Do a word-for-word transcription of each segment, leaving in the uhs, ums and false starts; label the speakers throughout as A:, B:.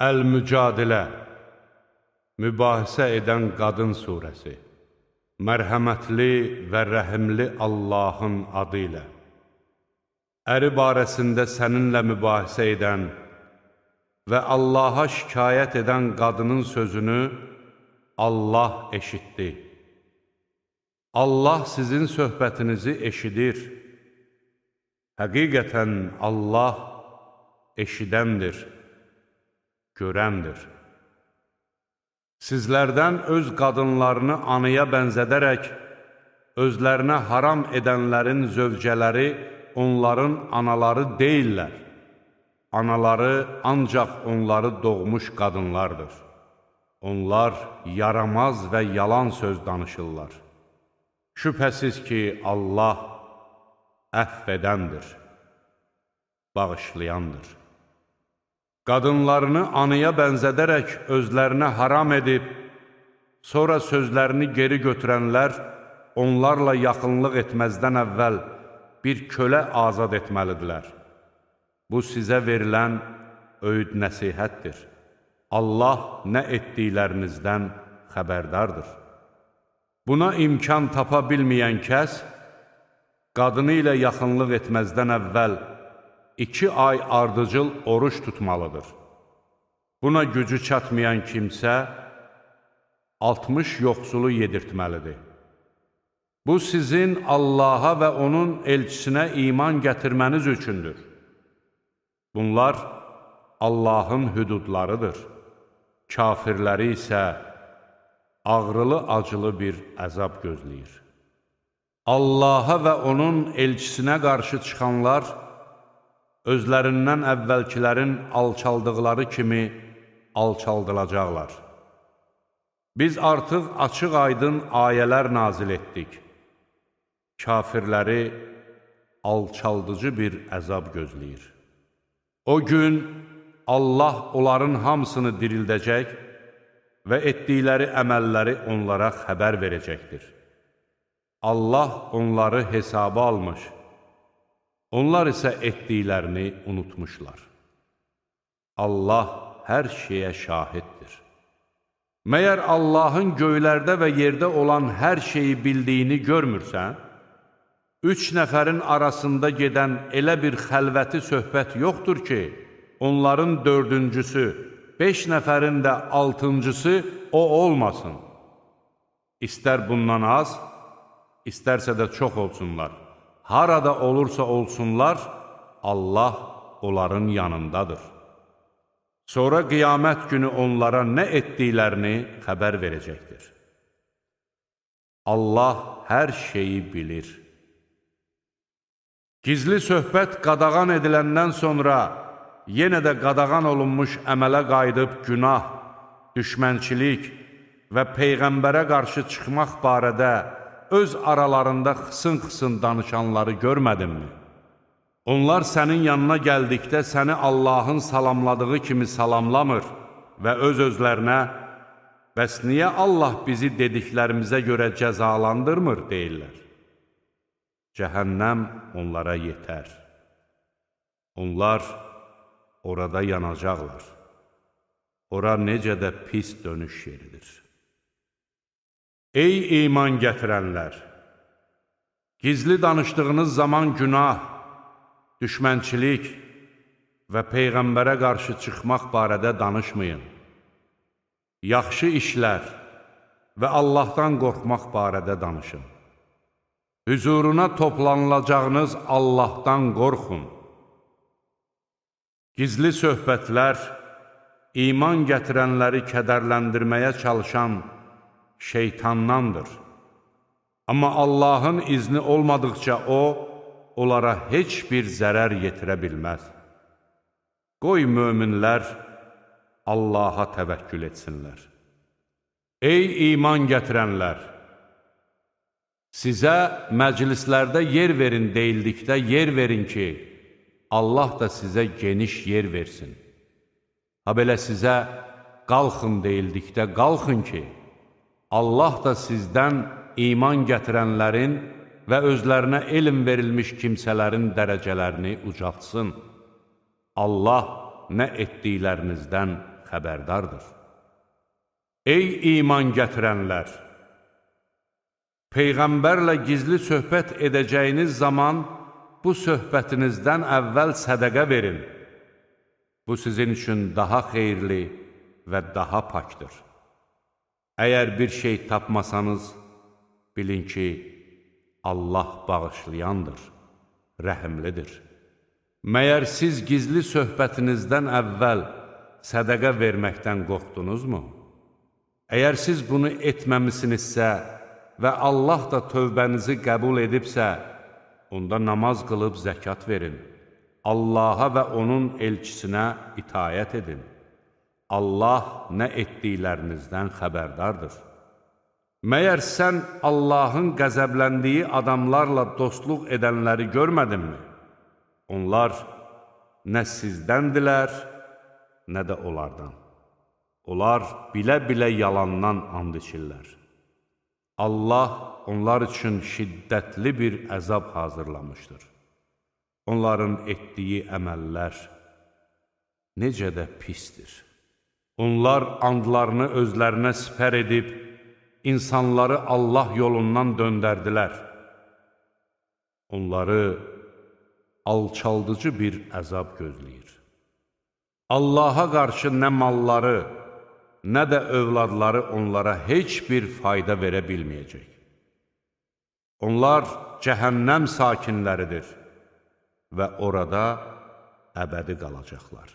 A: Əl-Mücadilə, mübahisə edən qadın surəsi. Mərhəmətli və rəhimli Allahın adı ilə. Əri barəsində səninlə mübahisə edən və Allaha şikayət edən qadının sözünü Allah eşitdi. Allah sizin söhbətinizi eşidir. Həqiqətən Allah eşidəndir, görəndir. Sizlərdən öz qadınlarını anıya bənzədərək, özlərinə haram edənlərin zövcələri onların anaları deyillər. Anaları ancaq onları doğmuş qadınlardır. Onlar yaramaz və yalan söz danışırlar. Şübhəsiz ki, Allah əfv edəndir, bağışlayandır. Qadınlarını anıya bənzədərək özlərinə haram edib, sonra sözlərini geri götürənlər onlarla yaxınlıq etməzdən əvvəl bir kölə azad etməlidirlər. Bu sizə verilən öyüd nəsihətdir. Allah nə etdiklərinizdən xəbərdardır. Buna imkan tapa bilməyən kəs, qadını ilə yaxınlıq etməzdən əvvəl iki ay ardıcıl oruç tutmalıdır. Buna gücü çatmayan kimsə, altmış yoxsulu yedirtməlidir. Bu sizin Allaha və onun elçisinə iman gətirməniz üçündür. Bunlar Allahın hüdudlarıdır. Kafirləri isə ağrılı-acılı bir əzab gözləyir. Allaha və onun elçisinə qarşı çıxanlar, özlərindən əvvəlkilərin alçaldıqları kimi alçaldılacaqlar. Biz artıq açıq-aydın ayələr nazil etdik. Kafirləri alçaldıcı bir əzab gözləyir. O gün Allah onların hamısını dirildəcək və etdikləri əməlləri onlara xəbər verəcəkdir. Allah onları hesaba almış, onlar isə etdiklərini unutmuşlar. Allah hər şeyə şahiddir. Məyər Allahın göylərdə və yerdə olan hər şeyi bildiyini görmürsən? Üç nəfərin arasında gedən elə bir xəlvəti söhbət yoxdur ki, onların dördüncüsü, beş nəfərin də altıncısı o olmasın. İstər bundan az, istərsə də çox olsunlar. Harada olursa olsunlar, Allah onların yanındadır. Sonra qiyamət günü onlara nə etdiklərini xəbər verəcəkdir. Allah hər şeyi bilir. Gizli söhbət qadağan ediləndən sonra yenə də qadağan olunmuş əmələ qayıdıb günah, düşmənçilik və Peyğəmbərə qarşı çıxmaq barədə öz aralarında xısın-xısın danışanları görmədinmi? Onlar sənin yanına gəldikdə səni Allahın salamladığı kimi salamlamır və öz-özlərinə, bəs niyə Allah bizi dediklərimizə görə cəzalandırmır, deyirlər. Cəhənnəm onlara yetər. Onlar orada yanacaqlar. Ora necə də pis dönüş yeridir. Ey iman gətirənlər! Gizli danışdığınız zaman günah, düşmənçilik və Peyğəmbərə qarşı çıxmaq barədə danışmayın. Yaxşı işlər və Allahdan qorxmaq barədə danışın. Hüzuruna toplanılacağınız Allahdan qorxun. Gizli söhbətlər, iman gətirənləri kədərləndirməyə çalışan şeytandandır. Amma Allahın izni olmadıqca o, onlara heç bir zərər yetirə bilməz. Qoy möminlər Allaha təvəkkül etsinlər. Ey iman gətirənlər! Sizə məclislərdə yer verin deyildikdə yer verin ki, Allah da sizə geniş yer versin. Ha belə sizə qalxın deyildikdə qalxın ki, Allah da sizdən iman gətirənlərin və özlərinə elm verilmiş kimsələrin dərəcələrini ucaltsın. Allah nə etdiklərinizdən xəbərdardır. Ey iman gətirənlər! Peyğəmbərlə gizli söhbət edəcəyiniz zaman bu söhbətinizdən əvvəl sədəqə verin. Bu sizin üçün daha xeyirli və daha pakdır. Əgər bir şey tapmasanız, bilin ki, Allah bağışlayandır, rəhimlidir. Məyər siz gizli söhbətinizdən əvvəl sədəqə verməkdən qorxdunuzmu? Əgər siz bunu etməmisinizsə və Allah da tövbənizi qəbul edibsə, onda namaz qılıb zəkat verin. Allaha və onun elçisinə itayət edin. Allah nə etdiklərinizdən xəbərdardır. Məyər sən Allahın qəzəbləndiyi adamlarla dostluq edənləri görmədinmi? Onlar nə sizdəndilər, nə də onlardan. Onlar bilə-bilə yalandan and içirlər. Allah onlar üçün şiddətli bir əzab hazırlamışdır. Onların etdiyi əməllər necə də pisdir. Onlar andlarını özlərinə sipər edib, insanları Allah yolundan döndərdilər. Onları alçaldıcı bir əzab gözləyir. Allaha qarşı nə malları, nə də övladları onlara heç bir fayda verə bilməyəcək. Onlar cəhənnəm sakinləridir və orada əbədi qalacaqlar.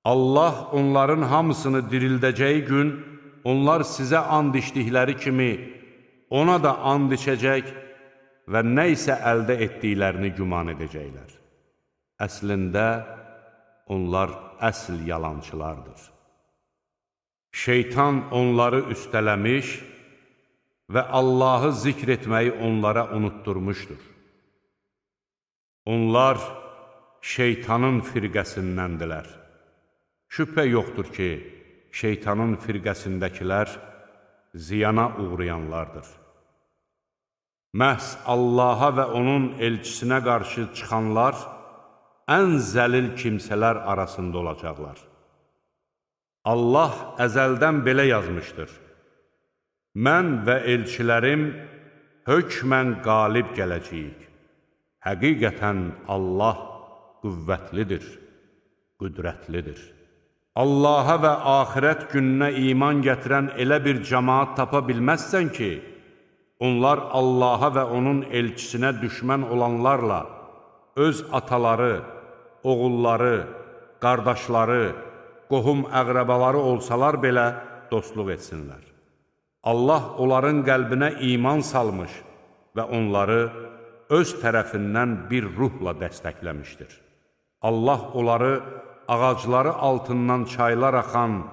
A: Allah onların hamısını dirildəcəyi gün, onlar sizə and içdikləri kimi ona da and içəcək və nə isə əldə etdiklərini güman edəcəklər. Əslində, onlar əsl yalançılardır. Şeytan onları üstələmiş və Allahı zikr etməyi onlara unutturmuşdur. Onlar şeytanın firqəsindəndirlər. Şübhə yoxdur ki, şeytanın firqəsindəkilər ziyana uğrayanlardır. Məhz Allaha və onun elçisinə qarşı çıxanlar ən zəlil kimsələr arasında olacaqlar. Allah əzəldən belə yazmışdır. Mən və elçilərim hökmən qalib gələcəyik. Həqiqətən Allah qüvvətlidir, qüdrətlidir. Allaha və axirət gününə iman gətirən elə bir cəmaat tapa bilməzsən ki, onlar Allaha və onun elçisinə düşmən olanlarla öz ataları, oğulları, qardaşları, qohum əqrəbaları olsalar belə dostluq etsinlər. Allah onların qəlbinə iman salmış və onları öz tərəfindən bir ruhla dəstəkləmişdir. Allah onları ağacları altından çaylar axan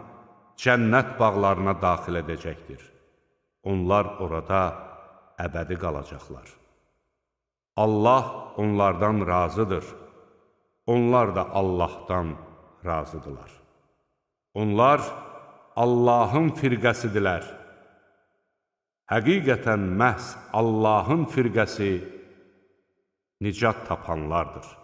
A: cənnət bağlarına daxil edəcəkdir. Onlar orada əbədi qalacaqlar. Allah onlardan razıdır. Onlar da Allahdan razıdırlar. Onlar Allahın firqəsidirlər. Həqiqətən məhz Allahın firqəsi nicat tapanlardır.